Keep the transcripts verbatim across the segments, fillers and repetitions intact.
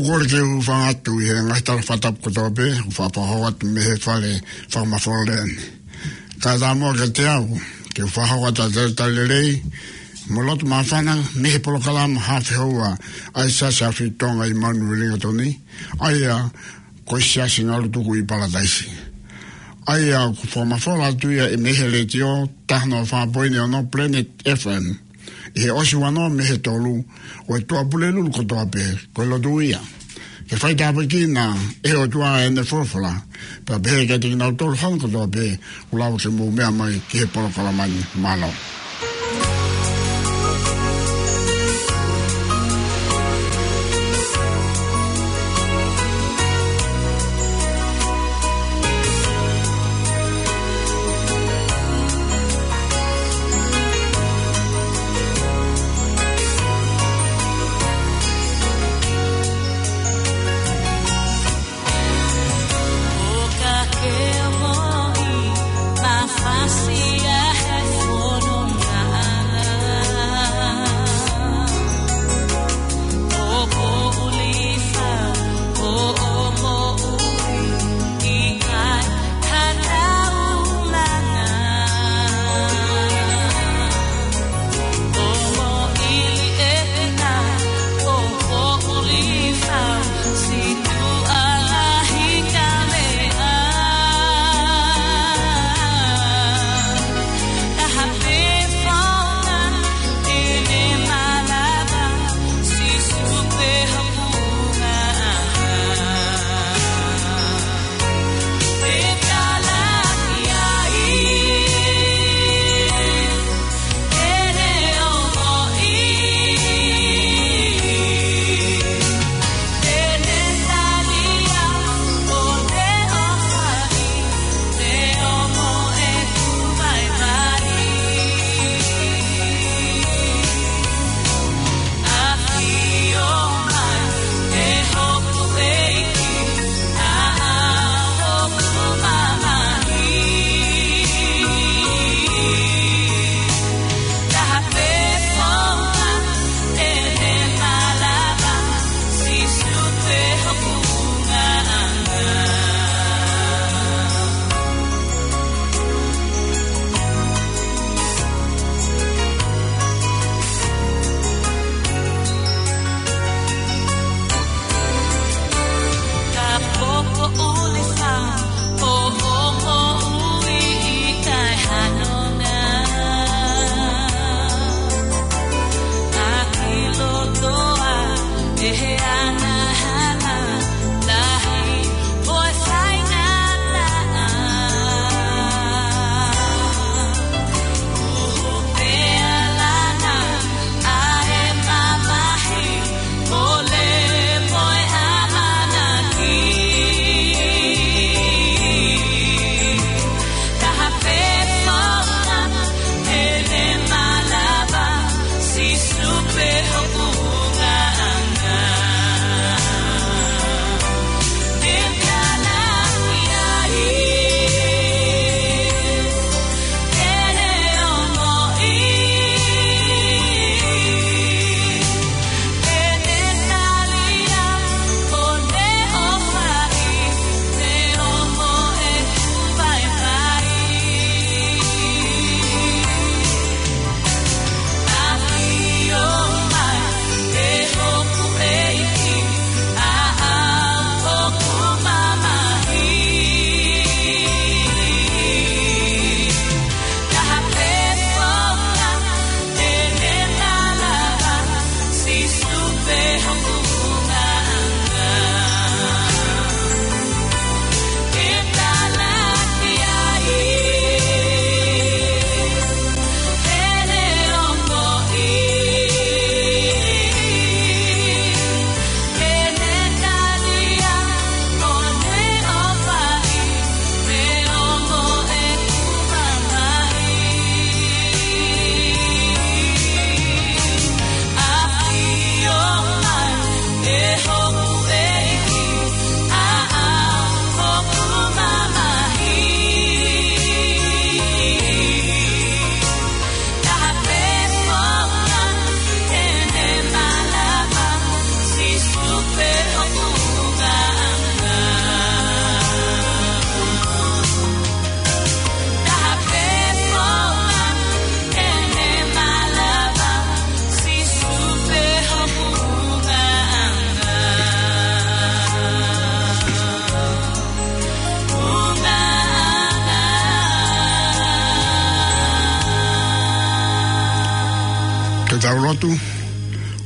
Kole ke u hūfanga atu ʻi he ngaahi tala fakatapu kotoa pē, ʻoku fakahoko atu mei he fale fakamafola ni. Kae ʻatā muʻa kiate au ke u fakahoko atu ʻa e talitali lelei mo e loto māfana mei he polokalama Hafe Houa ʻa e Siasi ʻAfio Tonga ʻi Mount Wellington, ʻa ia ko e Siasi Ngalutuku ʻi Palataisi. ʻA ia ʻoku fakamafola atu ia ʻi he, mei he letiō taha noa fā poini ono Planet F M, ʻi he ʻosi ua noa mei he tolu, ʻo e Tuʻapulelulu kotoa pē, ko e lotu ia. Ke faitāpuekina ʻe he ʻOtua ʻene folofola, pea pehē kiate kinautolu hono kotoa pē ʻoku lava ke mou meʻa mai ki he polokalama ni. Mālō. ʻO ka ke moʻui, mafasi ʻa e fononga.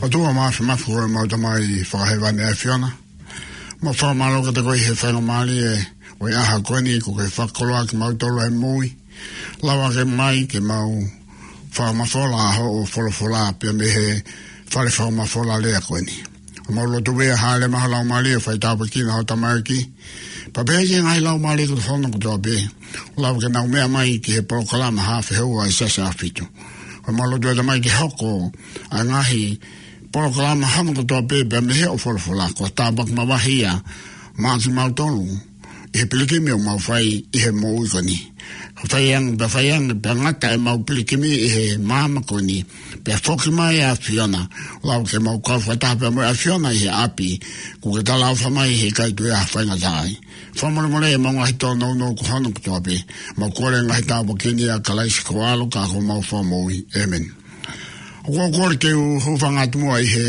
ʻOtua māfimafi, ko homau Tamai fakahēvani ʻa e ʻAfiona. Mau fakamālō kiate koe he faingamālie ʻo e ʻaho ko eni kuo ke fakakoloa kimautolu he moʻui. Lava ke mai ke mau fakamafola hoʻo folofola pea mei he fale fakamafola lea ko eni. Mau lotu pē ʻa e hāʻele mai ho Laumālie ʻo fai tāpuekina ho tamaiki. Pea pehē ki he ngaahi laumālie ko hono kotoa pē, lava ke nau meʻa mai ki he polokalama Haʻa Fehoua ʻa e Siasi ʻAhofitu. Ko mau lotu ʻe Tamai ke hoko ʻa e ngaahi polokalama hono kotoa pē pea mei he hoʻo folofola ko e tāpuaki mavahe ia maʻa kimautolu ʻi he pilikimi ʻoku mau fai ʻi he moʻui ko eni. Ka fai ange, pea fai ange, pea ngata ʻemau pilikimi ʻi he māmani ko eni, pea foki mai ʻa e ʻAfiona, lava ke mau kau fakataha pea mo e ʻAfiona ʻi he ʻapi kuo ke talaʻofa mai he ʻikai toe ʻi ai ha faingataʻa ai. Fakamolemole ʻemau ngaahi tōnounou ko hono kotoa pē. Mau kole ngaahi tāpuaki ni ʻia Kalaisi ko ho ʻAlo ka ko homau Fakamoʻui. ʻĒmeni. ʻOku ou kole ke u hūfanga atu muʻa ʻi he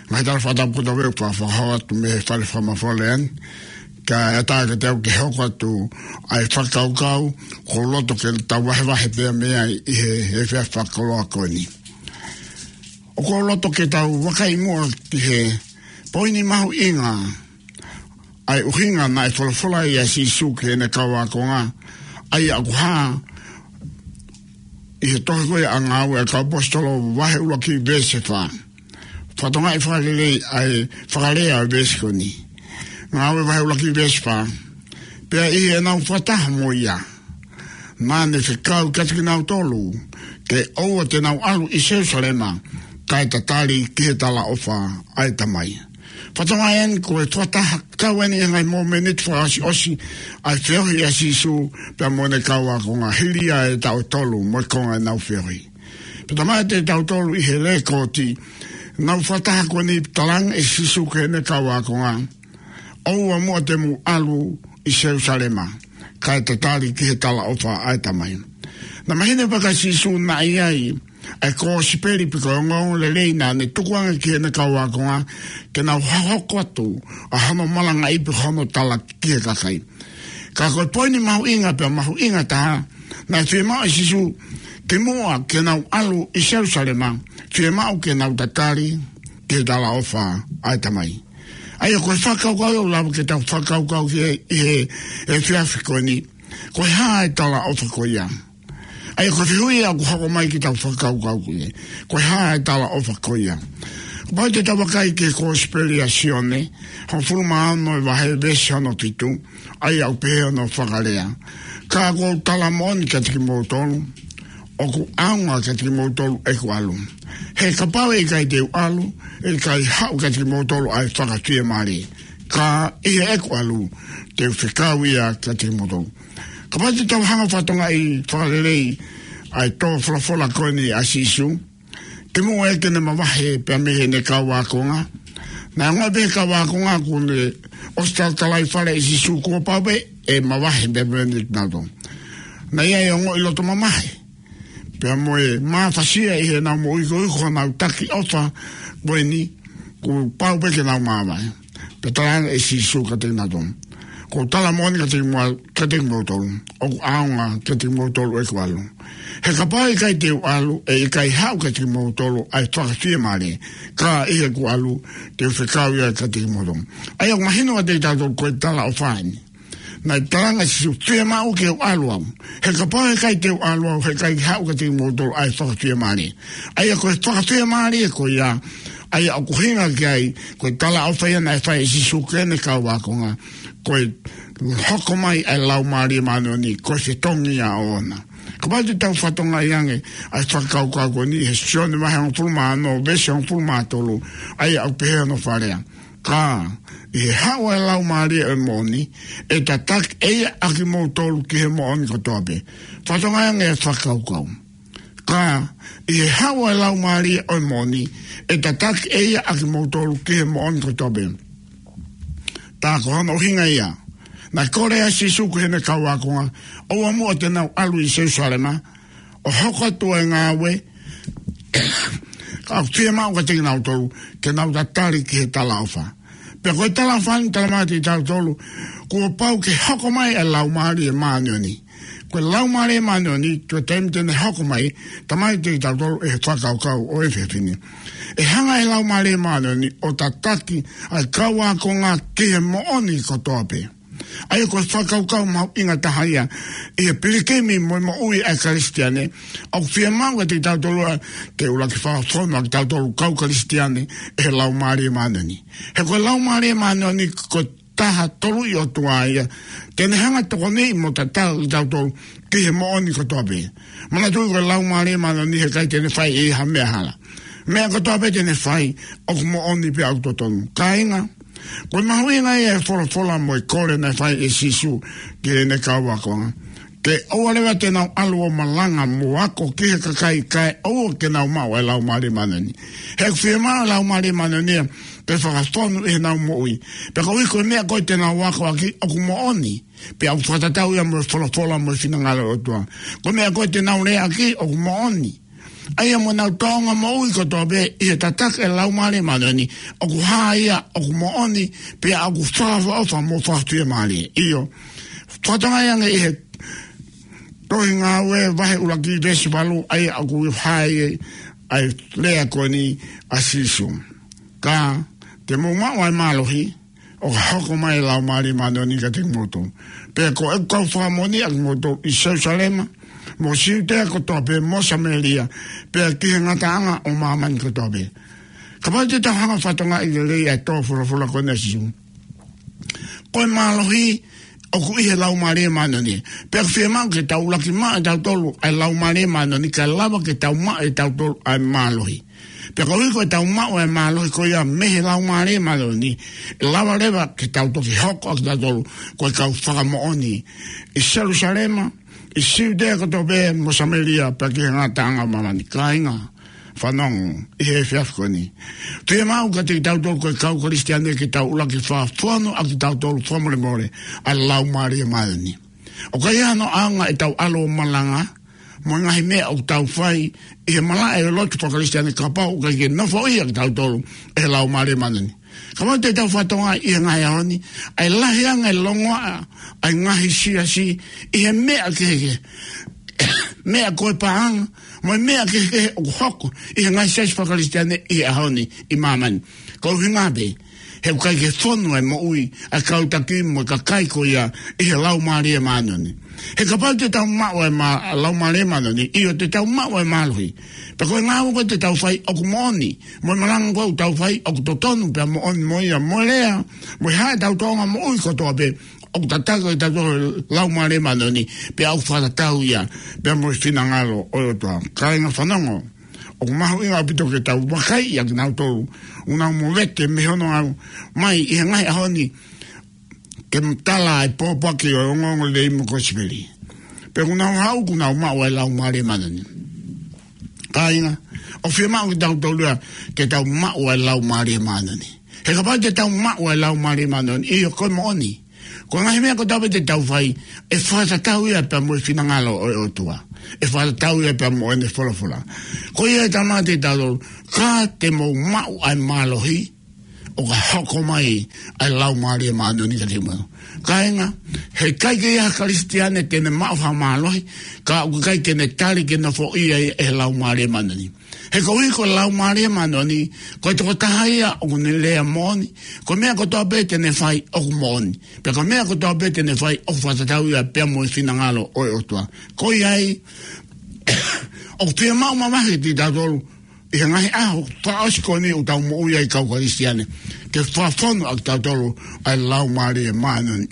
ngaahi tala fakatapu kotoa pē ʻoku fakahoko atu mei he fale fakamafola ni, kae ʻatā kiate au ke hoko atu ʻa e fakakaukau ʻoku ou loto ke tau vahevahe pea mei ai ʻi he, he efiafi fakakoloa ko eni. ʻOku ou loto ke tau vakai muʻa ki he poini mahuʻinga ʻa e ʻuhinga naʻe folofola ai ʻa Sīsū ki heʻene kau ākonga, ʻa ia ʻoku hā ʻi he tohi ko ia ʻa Ngāue ʻa e Kau ʻAposetolo vahe ʻuluaki veesi fā. Fakatokangaʻi fakalelei ʻa e fakalea ʻo e veesi ko eni. Ngāue vahe ʻuluaki veesi fā. Pea ʻi heʻenau fakataha mo ia, naʻa ne fekau kiate kinautolu ke ʻoua te nau ʻalu ʻi Selūsalema, kae tatali ki he talaʻofa ʻa e Tamai. Fakatokangaʻi ange ko e fakataha kau eni ʻi he ngaahi mōmeniti fakaʻosiʻosi ʻa e feohi ʻa Sīsū pea mo ʻene kau ākonga hili ia e taʻu ʻe tolu mo e konga ʻenau feohi. Pea talamai kiate kitautolu ʻi he lēkooti ʻenau fakataha ko eni, talaange ʻe Sīsū ki heʻene kau ākonga, ʻoua muʻa te mou ʻalu ʻi Selūsalema, kae tatali ki he talaʻofa ʻa e Tamai. Naʻe mahino pē kia Sīsū naʻe ʻi ai ʻa e kosipeli pe ko e ongoongolelei naʻa ne tukuange ki heʻene kau ākonga ke nau hoko atu ʻa hono malangaʻi pe hono tala ki he kakai. Ka ko e poini mahuʻinga pea mahuʻinga taha, naʻe fiemaʻu ʻe Sīsū kimuʻa ke nau ʻalu ʻi Selūsalema, fiemaʻu ke nau tatali ki he talaʻofa ʻa e Tamai. ʻA ia ko e fakakaukau ia ʻoku lava ke tau fakakaukau ki ai ʻi he, he efiafi ko eni. Ko e hā e talaʻofa ko ia? ʻA ia ko e fehuʻi ia ʻoku hoko mai ke tau fakakaukau ki ai. Ko e hā e talaʻofa ko ia? Kapau te tau vakai ki he kosipeli ʻa Sione, hongofulu mā ono e vahe, veesi hono fitu, ʻa ia ʻoku pehē hono fakalea: Ka ʻoku ou tala moʻoni kiate kimoutolu, ʻoku ʻaonga kiate kimoutolu ʻeku ʻalu. He kapau ʻe ʻikai te u ʻalu, ʻe ʻikai haʻu kiate kimoutolu ʻa e Fakafiemālie. Ka ʻi heʻeku ʻalu, te u fekau ia kiate kimoutolu. Kapau te tau hanga ʻo fakatokangaʻi fakalelei ʻa e tō folofola ko eni ʻa Sīsū, kimuʻa ke ne mavahe pea mei heʻene kau ākonga, naʻe ongoʻi pē ʻe he kau ākonga kuo ne ʻosi talatalai fale ʻe Sīsū kuo pau pē ʻe mavahe pea mei heʻene kau ākonga. Naʻe ʻi ai e ongoʻi loto mamahi pea mo e mafasia ʻi heʻenau moʻui koeʻuhi ko honau taki ʻofa ko eni, kuo pau pē ke nau mavahe. Pea talaange ʻe Sīsū kiate kinautolu: ʻOku ou tala moʻoni kiate kimou-, kiate kimoutolu, ʻoku ʻaonga kiate kimoutolu ʻeku ʻalu. He kapau ʻe ʻikai te u ʻalu, ʻe ʻikai haʻu kiate kimoutolu ʻa e Fakafiemālie. Ka ʻi heʻeku ʻalu, te u fekau ia kiate kimoutolu. ʻA ia ʻoku mahino kiate kitautolu ko e talaʻofa eni. Naʻe talaange ʻe Sīsū, fiemaʻu ke u ʻalu au. He kapau ʻe ʻikai te u ʻalu au, ʻe ʻikai haʻu kiate kimoutolu ʻa e Fakafiemālie. ʻA ia ko e Fakafiemālie ko ia, ʻa ia ʻoku ʻuhinga ki ai, ko e talaʻofa ia naʻe fai ʻe Sīsū ki heʻene kau ākonga, ko e hoko mai ʻa e Laumālie Māʻoniʻoni, ko e fetongi ia ʻoʻona. Kapau te tau fakatokangaʻi ange ʻa e fakakaukau ko eni he Sione vahe hongofulu mā ono, veesi hongofulu mā tolu, ʻa ia ʻoku pehē hono fakalea: Ka ʻi he haʻu ʻa e Laumālie ʻo e moʻoni, ʻe tataki ʻe ia ʻa kimoutolu ki he moʻoni kotoa pē. Fakatokangaʻi ange e fakakaukau. Ka ʻi he haʻu ʻa e Laumālie ʻo e moʻoni, ʻe tataki ʻe ia ʻa kimoutolu ki he moʻoni kotoa pē. Tā ko hono ʻuhinga ia naʻe kole ai ʻa Sīsū ki heʻene kau ākonga, ʻoua muʻa te nau ʻalu ʻi Selūsalema ʻo hoko atu ʻa e ngāue, ka ʻoku fiemaʻu kiate kinautolu ke nau tatali ki he talaʻofa. Pea ko e talaʻofa eni, talamai kiate kitautolu, kuo pau ke hoko mai ʻa e Laumālie Māʻoniʻoni. Ko e Laumālie Māʻoniʻoni, ko e taimi te ne hoko mai, talamai kiate kitautolu ʻe he fakakaukau ʻo e efiafi ni, ʻe hanga ʻe he Laumālie Māʻoniʻoni ʻo tataki ʻa e kau ākonga ki he moʻoni kotoa pē. ʻA ia ko e fakakaukau mahuʻinga taha ia ʻi he pilikimi mo e moʻui ʻa e Kalisitiane, ʻoku fiemaʻu kiate kitautolu ia ke ʻuluaki fakafonu ʻa kitautolu kau Kalisitiane ʻe he Laumālie Māʻoniʻoni. He ko e Laumālie Māʻoniʻoni ko e taha tolu ʻi ʻOtua ia, te ne hanga ʻo tokoniʻi mo tataki kitautolu ki he moʻoni kotoa pē. Manatuʻi ko e Laumālie Māʻoniʻoni he ʻikai te ne fai ʻe ia ha meʻa hala. Meʻa kotoa pē te ne fai, ʻoku moʻoni pea ʻoku totonu. Kāinga, ko e mahuʻinga ia ʻo e folofola mo e kole naʻe fai ʻe Sīsū ki heʻene kau ākonga, ke ʻoua leva te nau ʻalu ʻo malanga mo ako ki he kakai kae ʻoua ke nau maʻu ʻa e Laumālie Māʻoniʻoni. He ʻoku fiemaʻu ʻa e Laumālie Māʻoniʻoni ia ke fakafonu ʻi heʻenau moʻui. Pea koeʻuhi ko e meʻa ko ē te nau akoʻaki ʻoku moʻoni, pea ʻoku fakatatau ia mo e folofola mo e finangalo ʻo e ʻOtua. Ko e meʻa ko ē te nau leaʻaki ʻoku moʻoni. ʻA ia mo ʻenau tōʻonga moʻui kotoa pē ʻi he tataki ʻa e Laumālie Māʻoniʻoni, ʻoku hā ia ʻoku moʻoni, pea ʻoku fakaʻofoʻofa mo fakafiemālie. ʻIo, fakatokangaʻi ange ʻi he Tohi Ngāue vahe ʻuluaki veesi valu, ʻa ia ʻoku hā ai ʻa e lea ko eni ʻa Sīsū: Ka te mou maʻu ʻa e mālohi, ʻo ka hoko mai ʻa e Laumālie Māʻoniʻoni kiate kimoutolu. Pea ko ʻeku kau fakamoʻoni ʻa kimoutolu ʻi Selusalema, mo Siutea kotoa pē, mo Samēlia, pea ki he ngataʻanga ʻo māmani kotoa pē. Kapau te tau hanga ʻo fakatokangaʻi lelei ʻa e tō folofola ko eni ʻa Sīsū, ko e mālohi ʻoku ʻi he Laumālie Māʻoniʻoni. Pea ʻoku fiemaʻu ke tau ʻuluaki maʻu ʻe tautolu ʻa e Laumālie Māʻoniʻoni, kae lava ke tau maʻu ʻe tautolu ʻa e mālohi. Pea koeʻuhi ko ʻetau maʻu ʻa e mālohi ko ia mei he Laumālie Māʻoniʻoni, ʻe lava leva ke tau toki hoko ʻa kitautolu ko e kau fakamoʻoni ʻi Selusalema, ʻi Siutea kotoa pē, mo Samēlia, pea ki he ngataʻanga ʻo māmani. Kāinga, fanongo ʻi he efiafi ko eni. Fiemaʻu kiate kitautolu ko e kau Kalisitiane ke tau ʻuluaki fakafonu ʻa kitautolu fakamolemole ʻa e Laumālie Māʻoniʻoni. ʻOku ʻikai hano ʻaonga ʻetau ʻalu ʻo malanga mo e ngaahi meʻa ʻoku tau fai ʻi he malaʻe ʻo e lotu faka-Kalisitiane kapau ʻoku ʻikai ke nofoʻia kitautolu ʻe he Laumālie Māʻoniʻoni. Kapau te tau fakatokangaʻi ʻi he ngaahi ʻaho ni, ʻa e lahi ange e longoaʻa ʻa e ngaahi siasi ʻi he meʻa kehekehe, meʻa ko e paʻanga, mo e meʻa kehekehe ʻoku hoko ʻi he ngaahi siasi faka-Kalisitiane ʻi he ʻaho ni ʻi māmani. Ko e ʻuhinga pē, he ʻoku ʻikai ke fonu e moʻui ʻa e kau taki mo e kakai ko ia ʻi he Laumālie Māʻoniʻoni. He kapau te tau maʻu ʻa e mā-, Laumālie Māʻoniʻoni, ʻio, te tau maʻu ʻa e mālohi. Pea ko e ngāue ko ē te tau fai ʻoku moʻoni, mo e malanga ko ē ʻoku tau fai ʻoku totonu pea moʻoni mo ia, mo e lea, mo e hā ʻetau tōʻonga moʻui kotoa pē, ʻoku tataki ʻe tautolu ʻe he Laumālie Māʻoniʻoni, pea ʻoku fakatatau ia pea mo e finangalo ʻo e ʻOtua. Kāinga, fanongo, ʻoku mahuʻinga ʻaupito ke tau vakaiʻi ʻa kinautolu ʻoku nau movete mei hono aʻu mai ʻi he ngaahi ʻaho ni ke tala ʻa e pōpoaki ʻo e ongoongolelei mo e kosipeli, pea ʻoku nau haʻu kuo nau maʻu ʻa e Laumālie Māʻoniʻoni. Kāinga, ʻoku fiemaʻu kiate kitautolu ia ke tau maʻu ʻa e Laumālie Māʻoniʻoni. He kapau te tau maʻu ʻa e Laumālie Māʻoniʻoni, ʻio, ko e moʻoni, ko e ngaahi meʻa kotoa pē te tau fai, ʻe fakatatau ia pea mo e finangalo ʻo e ʻOtua. ʻE fakatatau ia pea mo ʻene folofola. Ko ia ʻe talamai kiate kitautolu, ka te mou maʻu ʻa e mālohi, ʻo ka hoko mai ʻa e Laumālie Māʻoniʻoni kiate kimoutolu. Kāinga, he ʻikai ke ʻi ai ha Kalisitiane te ne maʻu ha mālohi ka ʻoku ʻikai ke ne tali ke nofoʻia ia ʻe he Laumālie Māʻoniʻoni. He koeʻuhi ko e Laumālie Māʻoniʻoni, ko e tokotaha ia ʻoku ne lea moʻoni, ko e meʻa kotoa pē te ne fai ʻoku moʻoni, pea ko e meʻa kotoa pē te ne fai ʻoku fakatatau ia pea mo e finangalo ʻo e ʻOtua. Ko ia ai, ʻoku fiemaʻu mamahi kiate kitautolu ʻi he ngaahi ʻaho fakaʻosi ko eni ʻoku tau moʻui ai kau Kalisitiane, ke fakafonu ʻa kitautolu ʻa e Laumālie Māʻoniʻoni.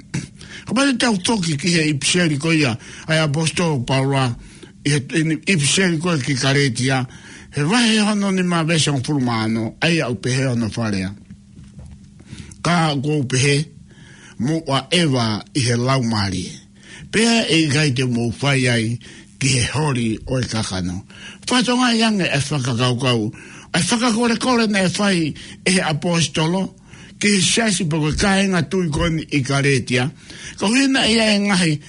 Kapau te tau foki ki he ʻipiseli ko ia ʻa e ʻaposetolo ko Paula, ʻi he, ʻi he ʻipiseli ko ē ki Kalētia, he vahe hono nima veesi hongofulu mā ono, ʻa ia ʻoku pehē hono fakalea: Ka ʻoku ou pehē, mou ʻaʻeva ʻi he Laumālie, pea ʻe ʻikai te mou fai ai ki he holi ʻo e kakano. Fakatokangaʻi ange ʻa e fakakaukau, ʻa e fakakolekole naʻe fai ʻe he ʻaposetolo ki he siasi pe ko e kāinga tui ko eni ʻi Kalētia. Koeʻuhi naʻe ʻi ai e ngaahi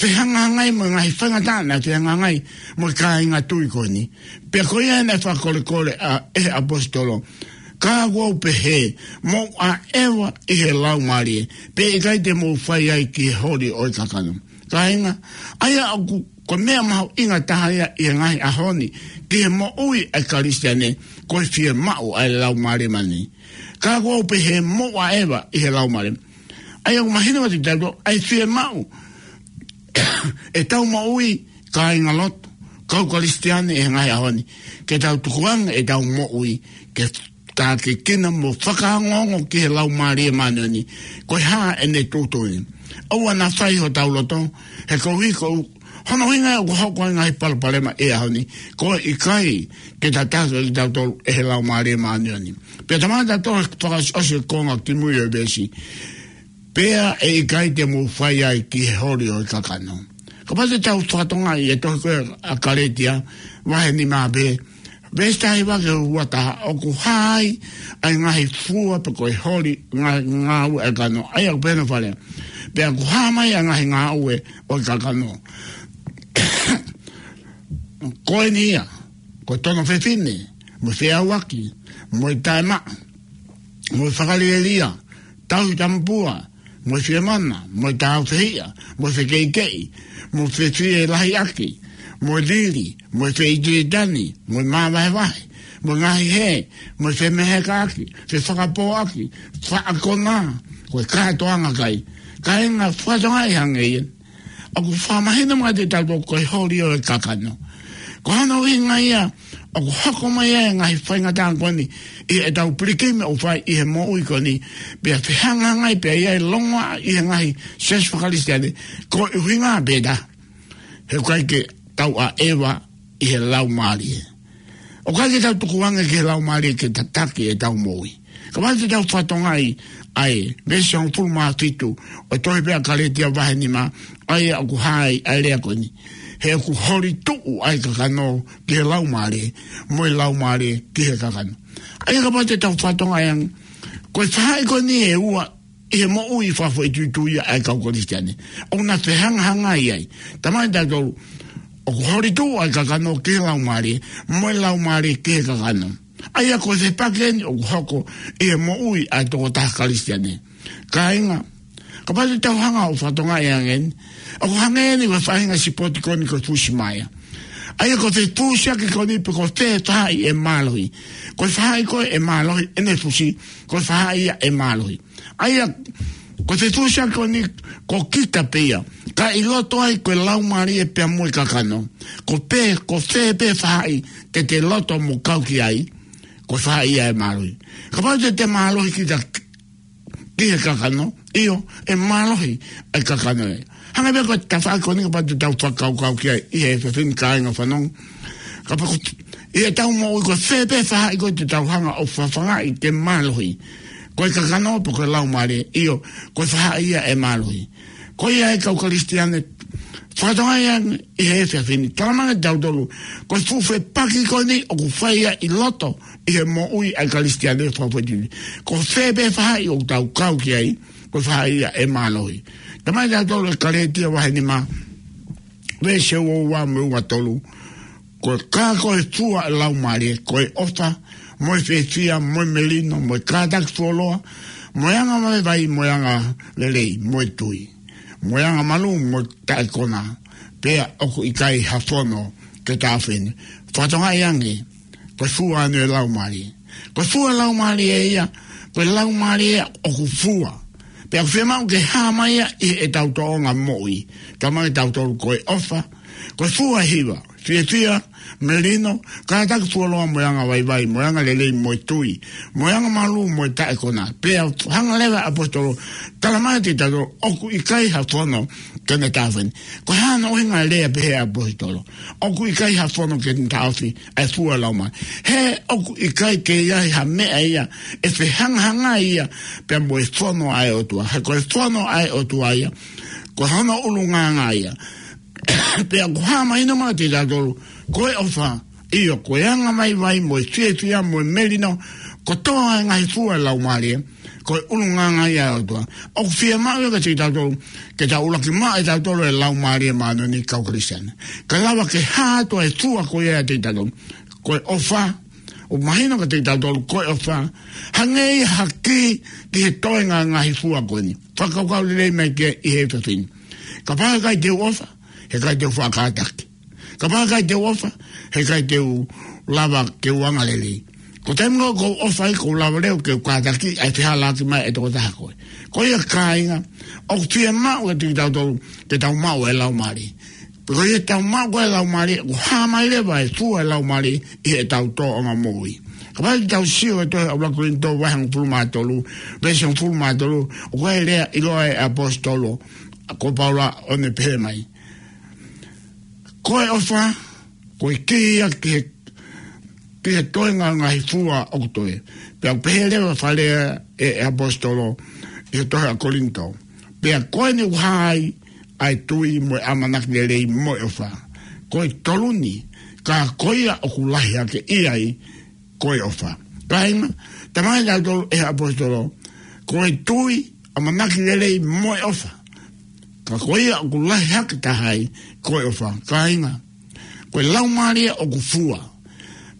fehangahangai mo e ngaahi faingataʻa naʻe fehangahangai mo e kāinga tui ko eni. Pea ko ia naʻe fakakolekole ʻa, ʻe he ʻaposetolo, Ka kuo u pehē, mou ʻaʻeva ʻi he Laumālie, pea ʻikai te mou fai ai ki he holi ʻo e kakano. Kāinga, ʻa ia ʻoku, ko e meʻa mahuʻinga taha ia ʻi he ngaahi ʻaho ni, ki he moʻui ʻa e Kalisitiane, ko e fiemaʻu ʻa e Laumālie Māʻoniʻoni. Ka kuo u pehē, mou ʻaʻeva ʻi he Laumālie. ʻA ia ʻoku mahino atu kiate kitautolu ʻa e fiemaʻu ʻetau moʻui, kāingalotu, kau Kalisitiane ʻi he ngaahi ʻaho ni, ke tau tukuange ʻetau moʻui, ke tākiekina mo fakaongoongo ki he Laumālie Māʻoniʻoni, ko e hā ʻene tuʻutuʻuni. ʻOua naʻa fai hotau loto, he koeʻuhi ko hono ʻuhinga ia ʻoku hoko ai e ngaahi palopalema ʻi he ʻaho ni, ko e ʻikai ke tataki kitautolu ʻe he Laumālie Māʻoniʻoni. Pea talamai ʻe tautolu he fakaʻosiʻosi e konga kimui ʻo e veesi, pea ʻe ʻikai te mou fai ai ki he holi ʻo e kakano. Kapau te tau fakatokangaʻi e tohi ko ē ʻa Kalētia, vahe nima pē, veesi taha hiva ki he ua taha, ʻoku hā ai ʻa e ngaahi fua pe ko e holi, ngā-, ngāue ʻa e kakano, ʻa ia ʻoku pehē hono fakalea. Pea ʻoku hā mai ʻa e ngaahi ngāue ʻo e kakano. Ko eni ia, ko e tono fefine, mo e feʻauaki, mo e taʻemaʻa, mo e fakalielia, tauhi tamapua, mo e fiemana, mo e tāufehiʻa, mo e fekeʻikeʻi, mo e fefie lahiʻaki, mo e lili, mo e feʻitilitani, mo e māvahevahe, mo e ngaahi hē, mo e femehekaʻaki, fefakapōʻaki, faʻa konā, ko e kātoanga kai. Kāinga, fakatokangaʻi ange ia. ʻOku fakamahino mai kiate kitautolu ko e holi ʻo e kakano. Ko hono ʻuhinga ia, ʻoku hoko mai ai e ngaahi faingataʻa ko eni, ʻi heʻetau pilikimi ʻoku fai ʻi he moʻui ko eni, pea fehangahangai pea ʻi ai e longoaʻa ʻi he ngaahi siasi faka-Kalisitiane, ko e ʻuhinga pē ʻe taha. He ʻoku ʻikai ke tau ʻaʻeva ʻi he Laumālie. ʻOku ʻikai ke tau tukuange ki he Laumālie ke tataki ʻetau moʻui. Kapau te tau fakatokangaʻi ʻa e veesi hongofulu mā fitu ʻo e tohi pē ʻa Kalētia vahe nima, ʻa ia ʻoku hā ai ʻa e lea ko eni. He ʻoku holi tuʻu ʻa e kakano ki he Laumālie, mo e Laumālie ki he kakano. ʻA ia kapau te tau fakatokangaʻi ange, ko e faʻahi ko eni ʻe ua ʻi he moʻui fakafoʻituitui ʻa e kau Kalisitiane, ʻoku na fehangahangai ai. Talamai ʻe tautolu, ʻoku holi tuʻu ʻa e kakano ki he Laumālie, mo e Laumālie ki he kakano. ʻA ia ko e fepaki eni ʻoku hoko ʻi he moʻui ʻa e tokotaha Kalisitiane. Kāinga, kapau te tau hanga ʻo fakatokangaʻi ange eni, ʻoku hangē eni ko e faʻahinga sipoti ko eni ko e fusimaea. ʻA ia ko e fefusiaki ko eni pe ko e fē faʻahi ʻe mālohi. Ko e faʻahi ko ē ʻe mālohi ʻene fusi, ko e faʻahi ia ʻe mālohi. ʻA ia, ko e fefusiaki ko eni ko kita pē ia. Ka ʻi loto ai ko e Laumālie pea mo e kakano. Ko e fē, ko e fē pē faʻahi te te loto mo kau ki ai, ko e faʻahi ia ʻe mālohi. Kapau te te mālohi kita ki he kakano, ʻio, ʻe mālohi ʻa e kakano ē. Hangē pē ko e tafaʻaki ko eni kapau te tau fakakaukau ki ai ʻi he efiafi ni, kāinga fanongo. Kapau ko ē ʻi heʻetau moʻui ko e fē pē faʻahi ko ē te tau hanga ʻo fafangaʻi ke mālohi. Ko e kakano pe ko e Laumālie, ʻio, ko e faʻahi ia ʻe mālohi. Ko ia ʻa e kau Kalisitiane, fakatokangaʻi ange ʻi he efiafi ni. Talamai ʻe tautolu, ko e fuʻu fepaki ko eni ʻoku fai ia ʻi loto ʻi he moʻui ʻa e Kalisitiane fakafoʻituitui. Ko e fē pē faʻahi ʻoku tau kau ki ai, ko e faʻahi ia ʻe mālohi. Talamai ʻe tautolu ʻe Kalētia vahe nima, veesi ua ua mo e ua tolu, ko e, ka ko e fua ʻo e Laumālie, ko e ʻofa, mo e fiefia, mo e melino, mo e kātaki fuoloa, mo e angavaivai, mo e angalelei, mo e tui, mo e angamalū, mo e taʻekona, pea ʻoku ʻikai ha fono ke taʻofi ʻeni. Fakatokangaʻi ange, ko e fua ʻeni ʻo e Laumālie. Ko e fua ʻo e Laumālie ia, ko e Laumālie ʻoku fua. Pea ʻoku fiemaʻu ke hā mai ia ʻi heʻetau tōʻonga moʻui. Talamai ʻe tautolu ko e ʻofa, ko e fua ʻe hiva, fiefia, melino, kātaki fuoloa mo e angavaivai, mo e angalelei, mo e tui, mo e angamalū, mo e taʻekona. Pea hanga leva ʻaposetolo, talamai ʻe tautolu, ʻoku ʻikai ha fono ke ne taʻofi ʻeni. Ko e hā hono ʻuhinga e lea pehē ʻaposetolo? ʻOku ʻikai ha fono ke ne taʻofi ʻa e fua ʻo e Laumālie. He ʻoku ʻikai ke ʻi ai ha meʻa ia ʻe fehangahangai ia pea mo e fono ʻa e ʻOtua. He ko e fono ʻa e ʻOtua ia, ko hono ʻulungaanga ia. Pea ʻoku hā mahino mai kiate tautolu, ko e ʻofa, ʻio, ko e angavaivai, mo e fiefia, mo e melino, kotoa e ngaahi fua ʻo e Laumālie, ko e ʻulungaanga ia ʻo e ʻOtua. ʻOku fiemaʻu ia kiate tautolu, ke tau ʻuluaki maʻu ʻe tautolu e Laumālie Māʻoniʻoni kau Kalisitiane. Kae lava ke hā atu e fua ko ia kiate tautolu. Ko e ʻofa, ʻoku mahino kiate kitautolu ko e ʻofa, hangē ia ha kī ki he toenga e ngaahi fua ko eni. Fakakaukau lelei mai ki ai ʻi he efiafi ni. Kapau he ʻikai te u ʻofa, he ʻikai te u faʻa kātaki. Kapau he ʻikai te u ʻofa, he ʻikai te u lava ke u angalelei. Ko e taimi ʻoku ou ʻofa ai, ʻoku ou lava leva ke u kātaki ʻa e fehālaaki mai ʻa e tokotaha ko ē. Ko ia kāinga, ʻoku fiemaʻu kiate kitautolu ke tau maʻu e Laumālie. Ko ia tau maʻu ko ē e Laumālie, ʻoku hā mai leva e fua e Laumālie ʻi heʻetau tōʻonga moʻui. Kapau te tau sio ki he tohi ʻa ʻuluaki Kolinitō vahe hongofulu mā tolu, veesi hongofulu mā tolu, ʻoku ʻi ai e lea ʻiloa ʻa e ʻaposetolo ko Paula ʻo ne pehē mai. Ko e ʻofa, ko e kī ia ki he, ki he toenga e ngaahi fua ʻoku toe. Pea ʻoku pehē leva fale ʻe, ʻe he ʻaposetolo ʻi he tohi ʻa Kolinitō. Pea ko eni ʻoku hā ai ʻa e tui mo e ʻamanaki lelei mo e ʻofa. Ko e tolu ni, ka ko ia ʻoku lahi hake ʻi ai, ko e ʻofa. Kāinga, talamai ʻe he ʻaposetolo, ko e tui, ʻamanaki lelei mo e ʻofa. Ka ko ia ʻoku lahi hake taha ai, ko e ʻofa. Kāinga, ko e Laumālie ʻoku fua.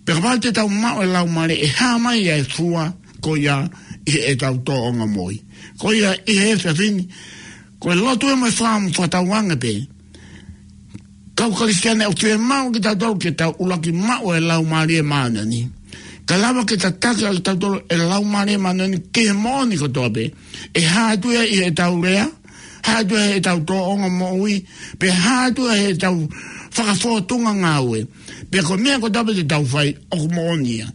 Pea kapau te tau maʻu e Laumālie, ʻe hā mai ʻa e fua ko ia ʻi heʻetau tōʻonga moʻui. Ko ia ʻi he efiafi ni, ko e lotu ē mo e fakaʻamu fakatauange pē. Kau Kalisitiane, ʻoku fiemaʻu kiate kitautolu ke tau ʻuluaki maʻu e Laumālie Māʻoniʻoni. Kae lava ke tataki ʻaki kitautolu e Laumālie Māʻoniʻoni ki he moʻoni kotoa pē. ʻE hā atu ia ʻi heʻetau lea, hā atu ia ʻi heʻetau tōʻonga moʻui, pea hā atu ia ʻi heʻetau fakafōtunga ngāue. Pea ko e meʻa kotoa pē te tau fai, ʻoku moʻoni ia.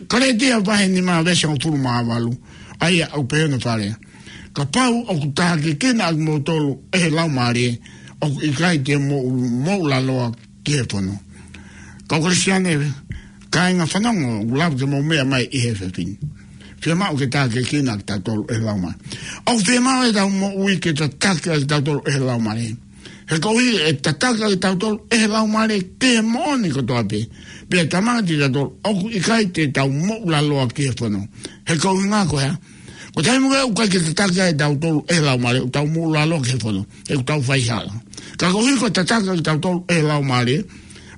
Kalētia vahe nima veesi hongofulu mā valu, ʻa ia ʻoku pehē hono fakalea. Kapau ʻoku tākiekina ʻa kimoutolu ʻe he Laumālie, ʻoku ʻikai te mou, mou moʻulaloa ki he fono. Kau Kalisitiane, kāinga, fanongo, ʻoku lava ke mou meʻa mai ʻi he efiafi ni. Fiemaʻu ke tākiekina ʻa kitautolu ʻe he Laumālie. ʻOku fiemaʻu ʻetau moʻui ke tataki ʻa kitautolu ʻe he Laumālie. He koeʻuhi ʻe tataki ʻa kitautolu ʻe he Laumālie ki he moʻoni kotoa pē. Pea talamai kiate kitautolu ʻoku ʻikai te tau moʻulaloa ki he fono. He ko e ʻuhinga ko e hā? Ko e taimi ʻoku ʻikai ke tataki ʻa kitautolu ʻe he Laumālie, ʻoku tau moʻulaloa ki he fono. He ʻoku tau faihala. Ka koeʻuhi ko e tataki ʻa kitautolu ʻe he Laumālie,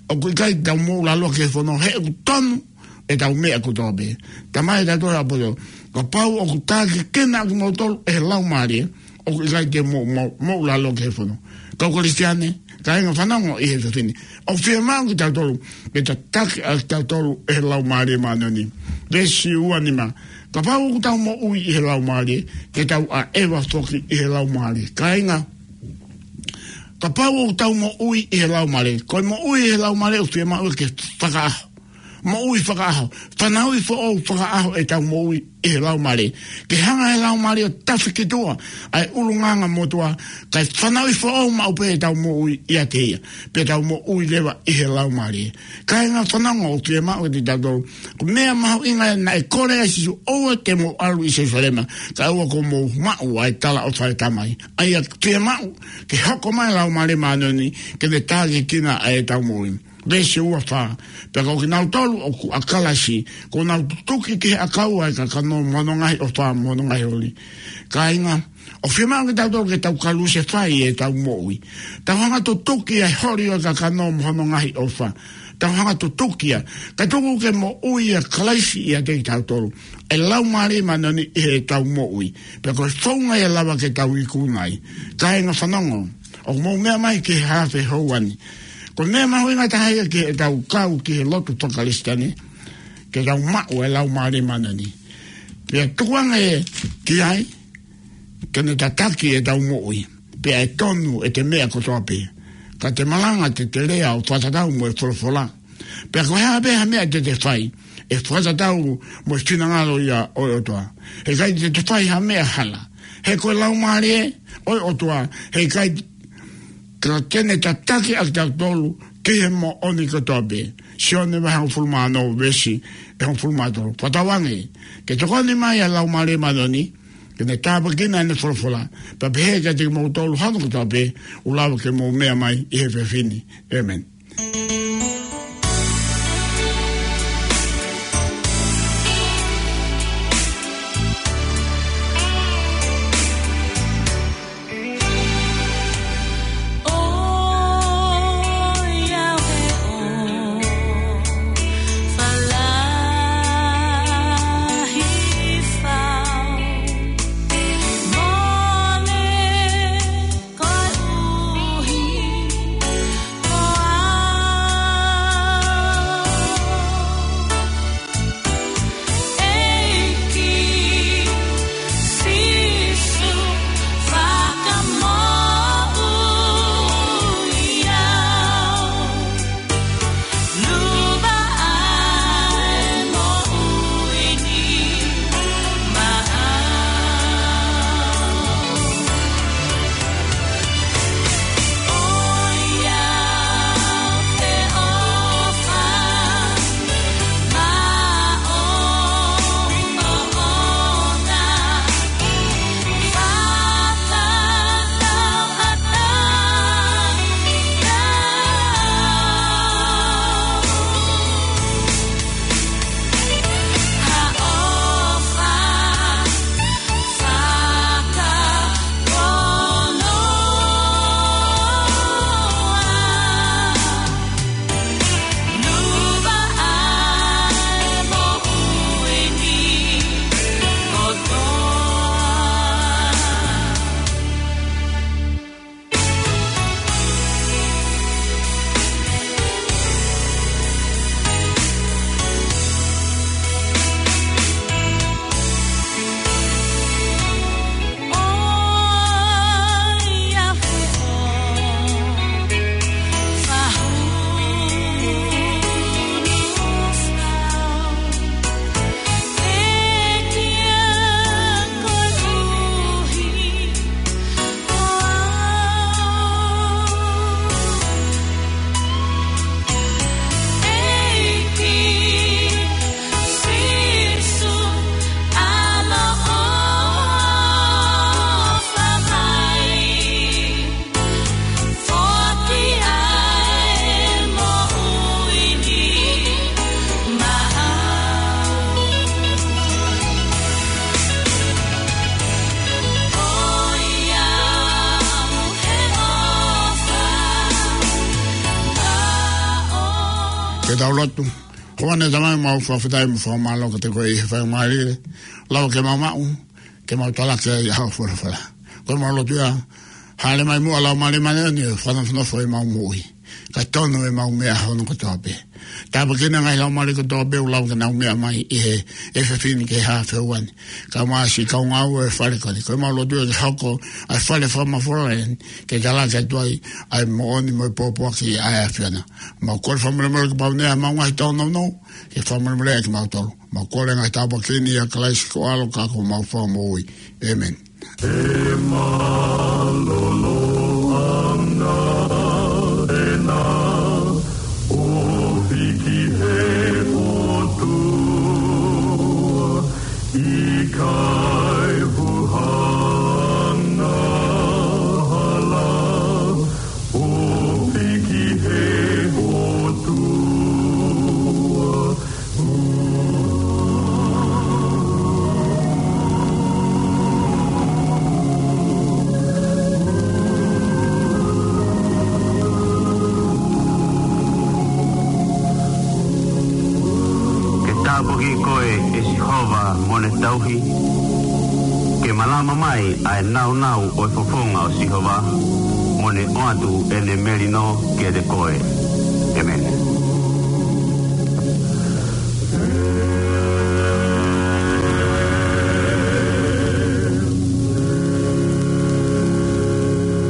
ʻoku ʻikai te tau moʻulaloa ki he fono. He ʻoku tonu ʻetau meʻa kotoa pē. Talamai ʻe he ʻaposetolo, kapau ʻoku tākiekina ʻa kimoutolu ʻe he Laumālie, ʻoku ʻikai te mou, mou, moʻulaloa ki he fono. Kau Kalisitiane, kāinga, fanongo ʻi he efiafi ni. ʻOku fiemaʻu kiate kitautolu ke tataki ʻa kitautolu ʻe he Laumālie Māʻoniʻoni. Veesi ua nima. Kapau ʻoku tau moʻui ʻi he Laumālie, te tau ʻaʻeva foki ʻi he Laumālie. Kāinga, kapau ʻoku tau moʻui ʻi he Laumālie, ko e moʻui ʻi he Laumālie ʻoku fiemaʻu ke fakaʻaho. Moʻui fakaʻaho, fanauʻi foʻou fakaʻaho ʻetau moʻui ʻi he Laumālie. Ke hanga ʻe he Laumālie ʻo tafi ki tuʻa ʻa e ʻulungaanga motuʻa, kae fanauʻi foʻou maʻu pē ʻetau moʻui ʻiate ia. Pea tau moʻui leva ʻi he Laumālie. Kāinga, fanongo, ʻoku fiemaʻu kiate kitautolu. Ko e meʻa mahuʻinga naʻe kole ai ʻa Sīsū, ʻoua te mou ʻalu ʻi Selusalema, kae ʻoua kuo mou maʻu ʻa e talaʻofa ʻa e Tamai. ʻA ia ʻoku fiemaʻu ke hoko mai e Laumālie Māʻoniʻoni, ke ne tākiekina ʻa ʻetau moʻui. Veesi ua fā. Pea ko kinautolu ʻoku ʻa Kalaisi, kuo nau tutuki ki he ʻakau ʻa e kakano mo hono ngaahi ʻofa mo hono ngaahi holi. Kāinga, ʻoku fiemaʻu kiate kitautolu ke tau kalusefai ʻetau moʻui. Tau hanga ʻo tutuki ʻa e holi ʻo e kakano mo hono ngaahi ʻofa. Tau hanga ʻo tutuki ia. Kae tuku ke moʻui ʻa Kalaisi ʻiate kitautolu. ʻE Laumālie Māʻoniʻoni ʻi heʻetau moʻui. Pea ko e founga ia ʻe lava ke tau ikuna ai. Kāinga, fanongo, ʻoku mou meʻa mai ki he hafe houa ni. Ko e meʻa mahuʻinga taha ia ki heʻetau kau ki he lotu faka-Kalisitiane, ke tau maʻu e Laumālie Māʻoniʻoni. Pea tukuange ki ai, ke ne tataki ʻetau moʻui. Pea ʻe tonu ʻete meʻa kotoa pē. Ka te malanga, te te lea ʻo fakatatau mo e folofola. Pea ko e hā pē ha meʻa te te fai, ʻe fakatatau mo e finangalo ia ʻo e ʻOtua. He ʻikai te te fai ha meʻa hala. He ko e Laumālie ʻo e ʻOtua, he ʻikai, ka te ne tataki ʻa kitautolu ki he moʻoni kotoa pē. Sione vahe hongofulu mā ono veesi ʻe hongofulu mā tolu. Fakatauange ke tokoni mai ʻa e Laumālie Māʻoniʻoni, ke ne tāpuekina ʻene folofola. Pea pehē kiate kimoutolu hono kotoa pē, ʻoku lava ke mou meʻa mai ʻi he efiafi ni. ʻĒmeni. Ke tau lotu. Ko ʻEne Tamai, mau fakafetaʻi mo fakamālō kiate koe ʻi he faingamālie, lava ke mau maʻu, ke mau talaki ai ʻa hoʻo folofola. Ko ʻemau lotu ia, hāʻele mai muʻa Laumālie Māʻoniʻoni ʻo fakanofonofo ʻemau moʻui, kae tonu ʻemau meʻa hono kotoa pē. Tāpuakiʻi ʻa e ngaahi laumālie kotoa pē ʻoku lava ke nau meʻa mai ʻi he efiafi ni ki he haafe ua ni. Kae ʻumaʻā siʻi kau ngāue ʻo e fale ko eni. Ko ʻemau lotu ia ke hoko ʻa e fale fakamafola eni, ke talaki atu ai ʻa e moʻoni mo e pōpoaki ʻa e ʻAfiona. Mau kole fakamolemole ke pau ʻeni ʻemau ngaahi tōnounou, ke fakamolemoleʻi kimautolu. Mau kole ngaahi tāpuaki ni ʻia Kalaisi ko ho ʻAlo ka ko homau Fakamoʻui. ʻĒmeni. ʻE mālōlō ange ʻena ʻofi ki he ʻOtua, ʻikai huhanga hala, ʻofi ki he ʻOtua. Ke tāpuakiʻi koe ʻe Sihova mo ne tauhi, ke malama mai ʻa e nāunau ʻo e fofonga ʻo Sihova, mo ne ʻoatu ʻene melino kiate koe. ʻĒmeni.